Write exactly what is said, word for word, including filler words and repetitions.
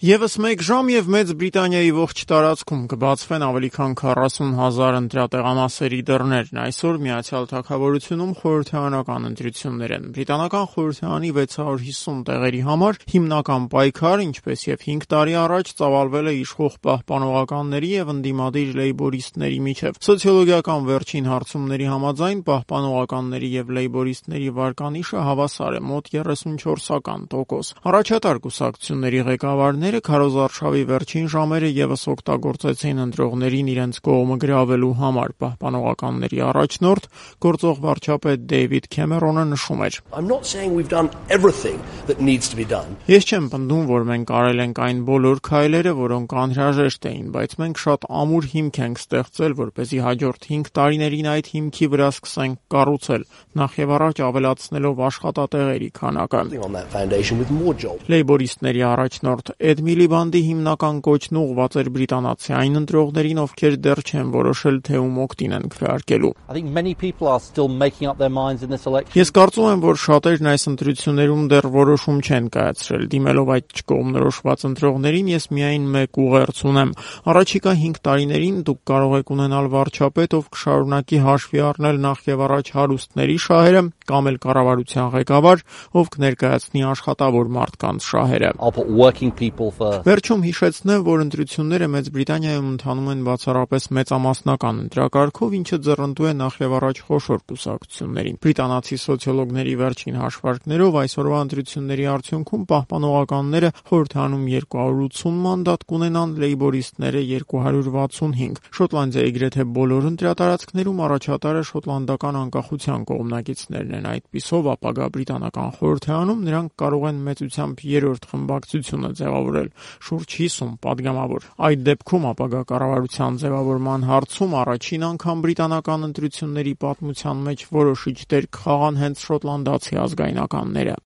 Եվս մեկ ժամ եւ Մեծ Բրիտանիայի ողջ տարածքում կբացվեն ավելի քան քառասուն հազար ընտրատեղամասերի դռներն։ Այսօր Միացյալ Թագավորությունում խորհրդարանական ընտրություններ են։ Բրիտանական խորհրդարանի վեց հարյուր հիսուն տեղերի համար հիմնական պայքար, ինչպես եւ հինգ տարի առաջ, ծավալվել է իշխող պահպանողականների եւ ընդդիմադիր լեյբորիստների միջեւ։ Սոցիոլոգիական վերջին հարցումների համաձայն պահպանողականների եւ լեյբորիստների վարկանիշը հավասար է՝ մոտ երեսունչորսական տոկոս։ Առաջատար կուսակցությունների ղեկավարները քարոզարշավի վերջին ժամերը եւս օգտագործեցին ընտրողներին իրենց կողմը գրավելու համար։ Պահպանողականների առաջնորդ գործող վարչապետ Դեյվիդ Քեմերոնը նշում էր. Ես չեմ պնդում, որ մենք արել ենք այն բոլոր քայլերը, որոնք անհրաժեշտ էին, բայց մենք շատ ամուր հիմք ենք ստեղծել, որպեսզի հաջորդ հինգ տարիներին այդ հիմքի վրա սկսենք կառուցել, նախևառաջ ավելացնելով աշխատատեղերի քանակը։ Լեյբորիստների առաջնորդ Էդ Միլիբանդի հիմնական կոչն ուղղված էր բրիտանացի այն ընտրողներին, ովքեր դեռ չեն որոշել, թե ում օգտին են քվեարկելու։ Ես կարծում եմ, որ շատերն այս ընտրություններում դեռ որոշում չեն կայացրել։ Դիմելով այդ չկողմնորոշված ընտրողներին, ես միայն մեկ ուղերձ ունեմ։ Առաջիկա հինգ տարիներին դուք կարող եք ունենալ վարչապետ, ով կշարունակի հաշվի առնել նախևառաջ հարուստների շահերը, կամ էլ կառավարության ղեկավար, ով կներկայացնի աշխատավոր մարդկանց շահերը։ Վերջում հիշեցնեմ, որ ընտրությունները Մեծ Բրիտանիայում ընթանում են բացառապես մեծամասնական ընտրակարգով, ինչը ձեռնտու է նախևառաջ խոշոր կուսակցություններին։ Բրիտանացի սոցիոլոգների վերջին հաշվարկներով այսօրվա ընտրությունների արդյունքում պահպանողականները խորհրդարանում երկու հարյուր ութսուն մանդատ կունենան, լեյբորիստները երկու հարյուր վաթսունհինգ։ Շոտլանդիայի գրեթե բոլոր ընտրատարածքներում առաջատարը շոտլանդական անկախության կողմնակիցներն են։ Այդպիսով ապագա բրիտանական խորհրդարանում նրանք կարող են մեծությամբ երրորդ խմբակցությունը ձևավորել, շուրջ հիսուն պատգամավոր։ Այդ դեպքում ապագա կառավարության ձևավորման հարցում առաջին անգամ բրիտանական ընտրությունների պատմության մեջ որոշիչ դեր կխաղան հենց շոտլանդացի ազգայնականները։